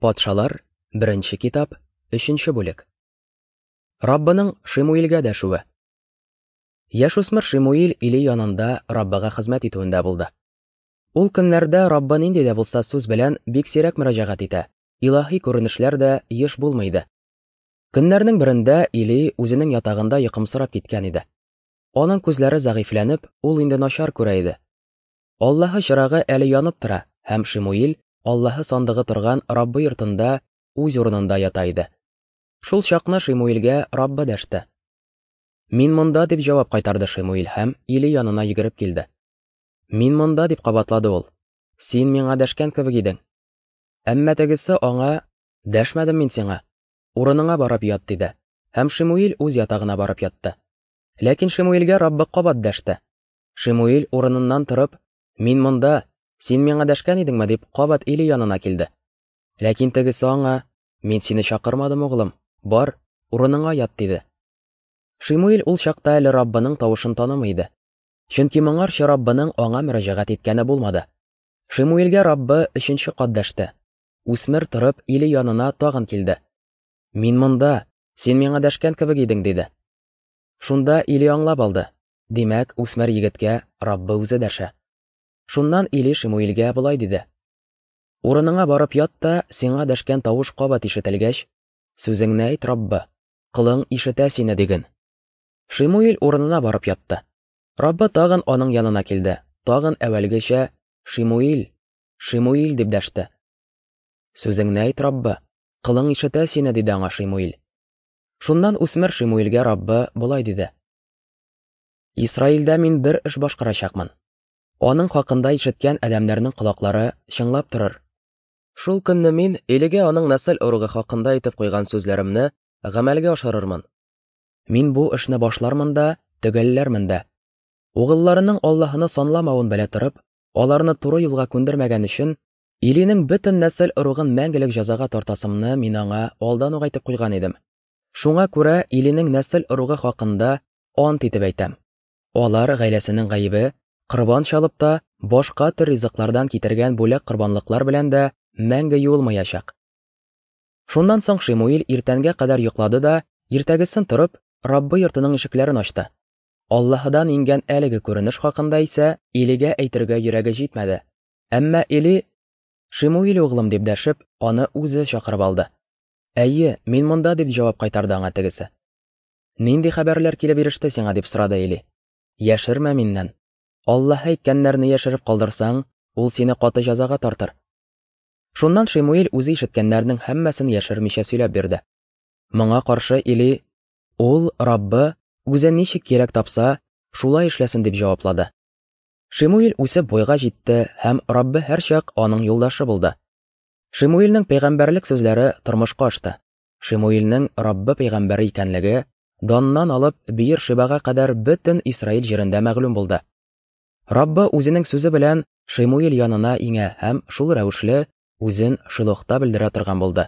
Патшалар, беренче китап, өченче бүлек. Раббының Шимуилгә дәшүе. Яшүсмер Шимуил Или янында Раббыга хезмәт итүендә булды. Ул көннәрдә Раббы нинди дә булса сүз белән бик сирәк мөрәҗәгать итә, илаһи күренешләр дә еш булмый иде. Көннәрнең берендә Или үзенең ятагында йокымсырап киткән иде. Аның күзләре зәгыйфьләнеп, ул инде начар күрә иде. Аллаһы чырагы әле янып тора, һәм Шимуил Аллаһы сандыгы торган Раббы йортында үз урынында ята иде. Шул чакны Шимуилгә Раббы дәште. Мин монда, дип җавап кайтарды Шимуил һәм Или янына йөгереп килде. Мин монда, дип кабатлады ул. Син миңа дәшкән кебек идең. Әмма тегесе аңа, Дәшмәдем мин сиңа. Урыныңа барып ят, диде. Һәм Шимуил үз ятагына барып ятты. Ләкин Шимуилгә Раббы кабат дәште. Шимуил урыныннан торып, Мин монда, син миңа дәшкән идеңме, дип кабат Или янына килде. Ләкин тегесе аңа, Мин сине чакырмадым, углым, бар, урыныңа ят, диде. Шимуил ул чакта әле Раббының тавышын танымый иде. Чөнки моңарчы Раббының аңа мөрәҗәгать иткәне булмады. Шимуилгә Раббы өченче кат дәште. Үсмер торып, Или янына тагын килде. Мин монда, син миңа дәшкән кебек идең, диде. Шунда Или аңлап алды. Димәк, үсмер егеткә Раббы үзе дәшә. Шуннан Или Шимуилгә болай диде. Урыныңа барып ят та, сиңа дәшкән тавыш кабат ишетелгәч, сүзеңне әйт, Раббы, колың ишетә сине, диген. Шимуил урынына барып ятты. Раббы тагын аның янына килде, тагын әүвәлгечә, Шимуил, Шимуил дип дәште. Сүзеңне әйт, Раббы, колың ишетә сине, диде аңа Шимуил. Шуннан үсмер Шимуилгә Раббы болай диде. Исраилдә мин бер эш башкарачакмын. Аның хакында ишеткән адәмнәрнең колаклары чыңлап торыр. Шул көнне мин Илигә аның нәсел ыругы хакында әйтеп куйган сүзләремне гамәлгә ашырырмын. Мин бу эшне башлармын да, төгәлләрмен дә. Угылларының Аллаһыны санламавын белә торып, аларны туры юлга күндермәгән өчен, Илинең бөтен нәсел ыругын мәңгелек җәзага тартасымны мин аңа алдан ук әйтеп куйган идем. Шуңа күрә Илинең нәсел ыругы хакында ант итеп әйтәм. Алар гаиләсенең гаебе корбан чалып та, башка төр ризыклардан китергән бүләк корбанлыклар белән дә мәңге юылмаячак. Шуннан соң Шимуил иртәнгә кадәр йоклады да, иртәгесен торып, Раббы йортының ишекләрен ачты. Аллаһыдан иңгән әлеге күренеш хакында исә Илигә әйтергә йөрәге җитмәде. Әмма Или, Шимуил углым, дип дәшеп, аны үзе чакырып алды. Әйе, мин монда, дип җавап кайтарды аңа тегесе. Нинди хәбәрләр килеп иреште сиңа, дип сорады Или. Яшермә миннән. Аллаһ әйткәннәрне яшереп калдырсаң, ул сине каты җәзага тартыр. Шуннан Шимуил үзе ишеткәннәрнең һәммәсен яшермичә сөйләп бирде. Моңа каршы Или, ул, Раббы, үзе ничек кирәк тапса, шулай эшләсен, дип җаваплады. Шимуил үсеп буйга җитте һәм Раббы һәрчак аның юлдашы булды. Шимуилнең пәйгамбәрлек сүзләре тормышка ашты. Шимуилнең Раббы пәйгамбәре икәнлеге Даннан алып Биер-Шибага кадәр бөтен Исраил җирендә мәгълүм булды. Раббы үзенең сүзе белән Шимуил янына иңә һәм шул рәвешле үзен Шилохта белдерә торган булды.